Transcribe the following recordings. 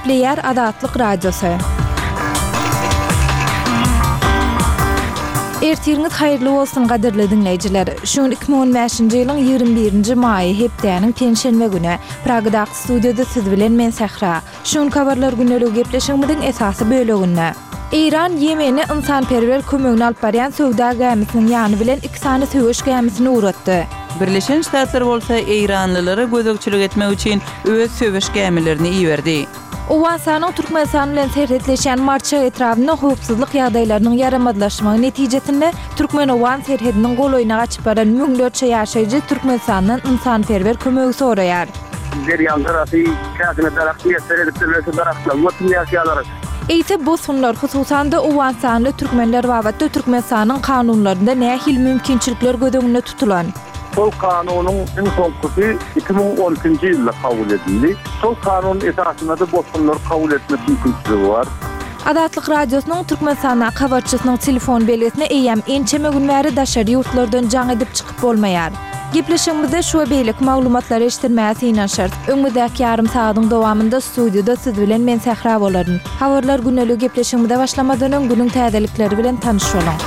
Gepleýär Azatlyk Radiosy. Ertiriňiz haýyrly bolsun gadyrly diňleýjiler. Şu gün 2015-nji ýylyň 21-nji maýy hepdäniň penşenbe güni. Pragadaky studiýada siz bilen men Sähra. Şu günki habarlar gündeligi gepleşigimiziň esasy böleginde. Eýran Ýemene ynsanperwer kömegini alyp barýan söwda gämisiniň ýany bilen iki sany söweş gämisini ugratdy. Birleşen Ştatlar bolsa eýranlylara gözegçilik etmek üçin öz söweş gämilerini iberdi. Owganystanyň Türkmenistan bilen serhetleşýän Marçak etrabynda howpsuzlyk ýagdaýlarynyň ýaramazlaşmagy netijesinde türkmen-owgan serhediniň golaýyna gaçyp baran müňlerçe ýaşaýjy Türkmenistandan ynsanperwer kömegi soraýar. Derýaň gyrasy käsine daragt miýesser edipdirler, şu daragtlaryň götüni ýaşaýarlar. Eýse bosgunlar, hususan-da owganystanly türkmenler babatda Türkmenistanyň kanunlarynda nähili mümkinçilikler göz öňünde tutulan? Şol kanunyň iň soňkusy 2012-nji ýylda kabul edildi. Şol kanun esasynda-da bosgunlary kabul etmek mümkinçiligi bar. Azatlyk Radiosynyň Türkmenistandaky habarçysynyň telefon belgisine eýýäm ençeme gün bäri daşary ýurtlardan jaň edip çykyp bolmaýar. Gepleşigimizde şu we beýleki maglumatlary eşitdirmäge synanyşarys. Öňümizdäki ýarym sagadyň dowamynda studiýada siz bilen men Sähra bolaryn. Habarlar güneligi gepleşigimize başlamazdan öň günüň täzelikleri bilen tanyş boluň.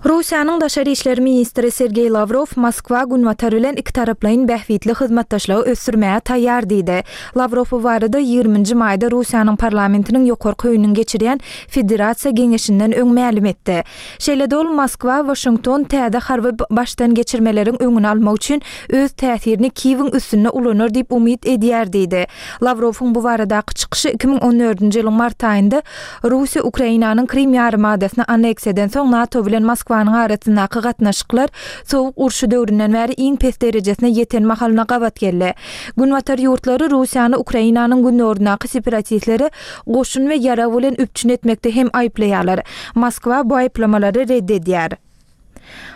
Russiýanyň daşary işler ministri Sergeý Lawrow Moskwa Günbatar bilen ikitaraplaýyn bähbitli hyzmatdaşlygy ösdürmäge taýýar diýdi. Lawrow bu barada ýigriminji maýda Russiýanyň parlamentiniň ýokarky öýüniň geçirýän Federasiýa Geňeşinden öň mälim etdi. Şeýle-de ol Moskwa Waşington täze harby başdan geçirmeleriň öňüni almak üçin öz täsirini Kiýewiň üstünde ulanar diýip umyt edýär diýdi. Lawrowyň bu baradaky çykyşy 2014-nji ýylyň mart aýynda Russiýa Ukrainanyň Krym ýarymadasyny anneksiýa edensoň NATO bilen Moskwanyň arasyndaky gatnaşyklar Sowuk urşy döwründen bäri iň pes derejesine ýeten mahalyna gabat geldi. Günbatar ýurtlary Russiýany Ukrainanyň gündogaryndaky separatistleri goşun we ýarag bilen üpjün etmekde hem aýyplaýarlar. Moskwa bu aýyplamalary red edýär.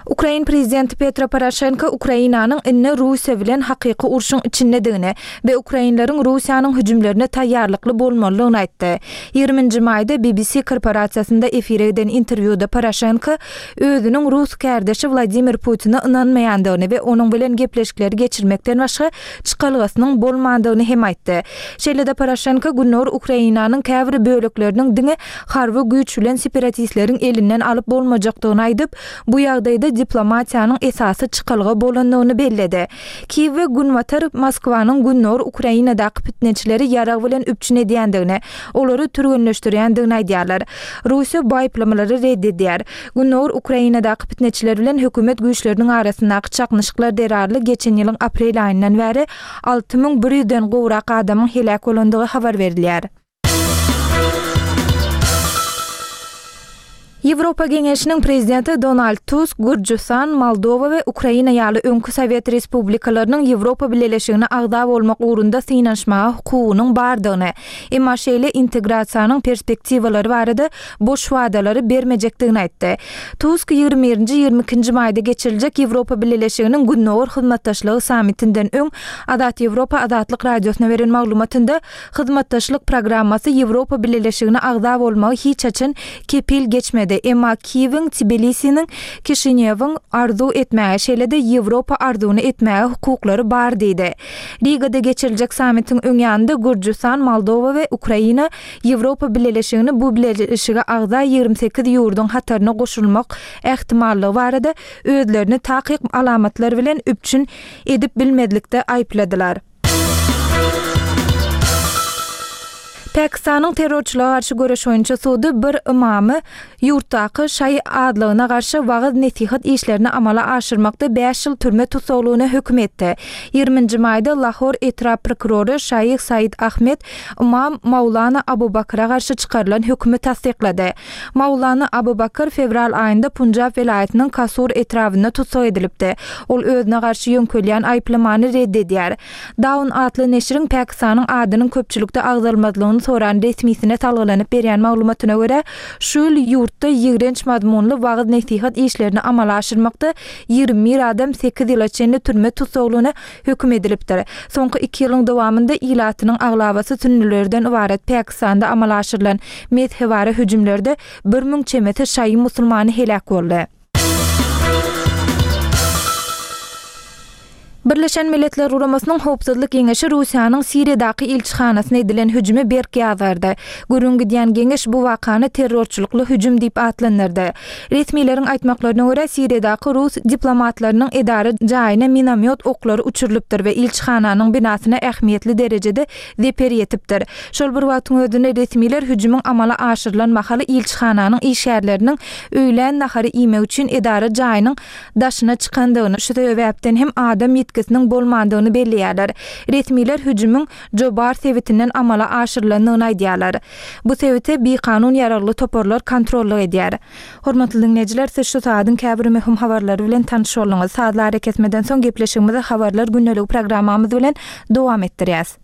Ukrain prezidenti Petro Poroşenko Ukrainanyň indi Russiýa bilen hakyky urşuň içindedigini we ukrainleriň Russiýanyň hüjümlerine taýýarlykly bolmalydygyny aýtdy. Ýigriminji maýda BBC korporasiýasynda efire giden interwýuda Poroşenko özüniň rus kärdeşi Wladimir Putine ynanmaýandygyny we onuň bilen gepleşikleri geçirmekden başga çykalgasynyň bolmandygyny hem aýtdy. Şeýle-de Poroşenko Gündogar Ukrainanyň käbir bölekleriniň diňe harby güýç bilen separatistleriň elinden alyp bolmajakdygyny aýdyp, bu ýagdaýda diplomatiýanyň esasy çykalga bolandygyny belledi. Kiýew we Günbatar Moskwanyň Gündogar Ukrainadaky pitneçileri ýarag bilen üpjün edýändigini, olary türgenleşdirýändigini aýdýarlar. Russiýa bu aýyplamalary red edýär. Gündogar Ukrainadaky pitneçiler bilen hökümet güýçleriniň arasyndaky çaknyşyklar zerarly geçen ýylyň aprel aýyndan bäri 6100 den gowrak adamyň heläk bolandygy habar berilýär. Ýewropa Geňeşiniň Prezidenti Donald Tusk Gürjüstan, Moldowa we Ukraina ýaly öňki sowet respublikalarynyň Ýewropa Bileleşigine agza bolmak ugrunda synanyşmaga hukugynyň bardygyny, emma şeýle integrasiýanyň perspektiwalary barada boş wadalary bermejekdigini aýtdy. Tusk ýigrimi birinji, ýigrimi ikinji maýda geçiriljek Ýewropa Bileleşiginiň Gündogar hyzmatdaşlygy sammitinden öň Azat Ýewropa Azatlyk Radiosyna beren maglumatynda Hyzmatdaşlyk programmasy Ýewropa Bileleşigine agza bolmagy hiç haçan kepil geçmedi, emma Kiýewiň, Tbilisiniň, Kişinýowyň arzuw etmäge, şeýle-de Ýewropa arzuwyny etmäge hukuklary bar diýdi. Rigada geçiriljek sammitiň öň ýanynda Gürjüstan, Moldowa we Ukraina Ýewropa Bileleşigini bu bileleşige agza 28 ýurduň hataryna goşulmak ähtimallygy barada özlerini takyk alamatlar bilen üpjün edip bilmezlikde aýypladylar. Pakistanyň terrorçylyga garşy göreş boýunça sudy bir ymamy ýurtdaky şaýy azlygyna garşy wagyz-nesihat işlerini amala aşyrmakda bäş ýyl türme tussaglygyna höküm etdi. Ýigriminji maýda Lahor etrap prokurory Şaýh Said Ahmed ymam Maulana Abu Bakra garşy çykarylan hökümi tassyklady. Maulana Abu Bakr fewral aýynda Punjab welaýatynyň Kasur etrabynda tussag edilipdi. Ol özüne garşy ýöňkelýän aýyplamany red edýär. Dawn atly neşiriň Pakistanyň adynyň köpçülikde agzalmazlygyny soran resmisine salgylanyp berýän maglumatyna görä, şu ýyl ýurtda ýigrenç mazmunly wagyz-nesihat işlerini amala aşyrmakda 21 adam sekiz ýyla çenli türme tussaglygyna höküm edilipdir. Soňky iki ýylyň dowamynda ilatynyň aglabasy sünnülerden ybarat Pakistanda amala aşyrylan mezhebara hüjümlerde 1000 çemesi şaýy musulmany heläk boldy. Birleşen Milletler Guramasynyň Howpsuzlyk Geňeşi Russiýanyň Siriýadaky ilçihanasyna edilen hüjümi berk ýazgardy. Gürrüň gidýän geňeş bu wakany terrorçylykly hüjüm diýip atlandyrdy. Resmileriň aýtmaklaryna görä, Siriýadaky rus diplomatlarynyň edara jaýyna minomýot oklary uçurylypdyr we ilçihananyň binasyna ähmiýetli derejede zeper ýetipdir. Şol bir wagtyň özünde resmiler hüjümiň amala aşyrylan mahaly ilçihananyň işgärleriniň öýlän nahary iýmek üçin edara jaýynyň daşyna çykandygyny, şu sebäpden hem adam ýitgisiniň bolmandygyny belleýärler. Resmiler hüjümiň Jobar sebitinden amala aşyrylandygyny aýdýarlar. Bu sebite bikanun ýaragly toparlar kontrollyk edýär. Hormatly diňleýjiler, siz şu sagadyň käbir möhüm habarlary bilen tanyş bolduňyz. Sazly arakesmeden soň gepleşigimizi Habarlar gündeligi programmamyz bilen dowam etdirýäs.